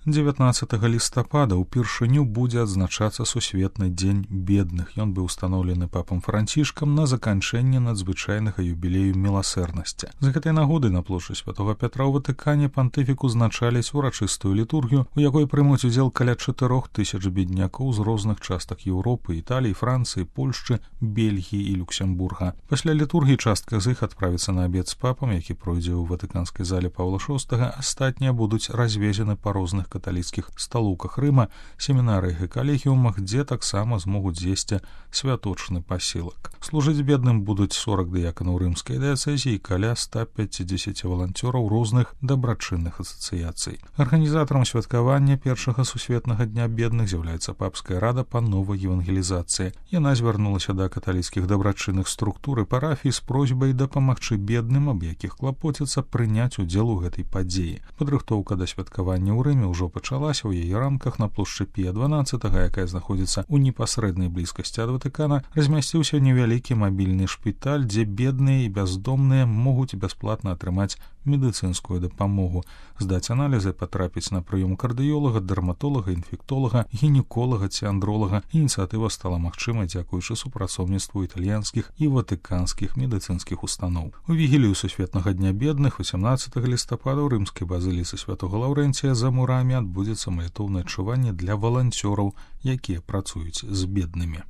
19 лістапада ўпершыню будзе адзначацца сусветны дзень бедных. Ён быў устаноўлены папам Францішкам на заканчэнне надзвычайнага юбілею міласэрнасці. З гэтай нагоды на плошчы Святога Пятра ў Ватыкане пантыфік узначаліць урачыстую літургію, у якой прымуць удзел каля 4000 беднякоў з розных частак Еўропы, Італіі, Францыі, Польшчы, Бельгіі і Люксембурга. Пасля літургіі частка з іх адправіцца на абед з папам, які пройдзе ў ватыканскай зале Паўла VI. Астатнія будуць развезены па розных каталіцкіх сталоўках Рыма, семінарыях і калегіумах, дзе таксама змогуць з'есці святочны пасілак. Служыць бедным будуць 40 дыяканаў рымскай дыяцэзіі і каля 150 валанцёраў розных дабрачынных асацыяцый. Арганізатарам святкавання першага сусветнага дня бедных з'яўляецца папская рада па новай евангелізацыі. Яна звярнулася да каталіцкіх дабрачынных структур і парафій з просьбай дапамагчы бедным, аб якіх клапоціцца, прыняць удзел у гэтай падзеі. Падрыхтоўка да святкавання ў Рыме ўжо пачалася. У яе рамках на плошчы Пія XII, якая знаходзіцца ў непасрэднай блізкасці ад Ватыкана, размясціўся невялікі мабільны шпіталь, дзе бедныя і бяздомныя могуць бясплатна атрымаць медыцынскую дапамогу, здаць аналізы, патрапіць на прыём кардыёлага, дэрматолага, інфектолага, гінеколага ці андролага. Ініцыятыва стала магчымай дзякуючы супрацоўніцтву італьянскіх і ватыканскіх медыцынскіх устаноў. У вігілію сусветнага дня бедных 18 лістапада ў рымскай базыліцы святога Лаўрэнція за мурамі адбудзецца малітоўнае адчуванне для валанцёраў, якія працуюць з беднымі.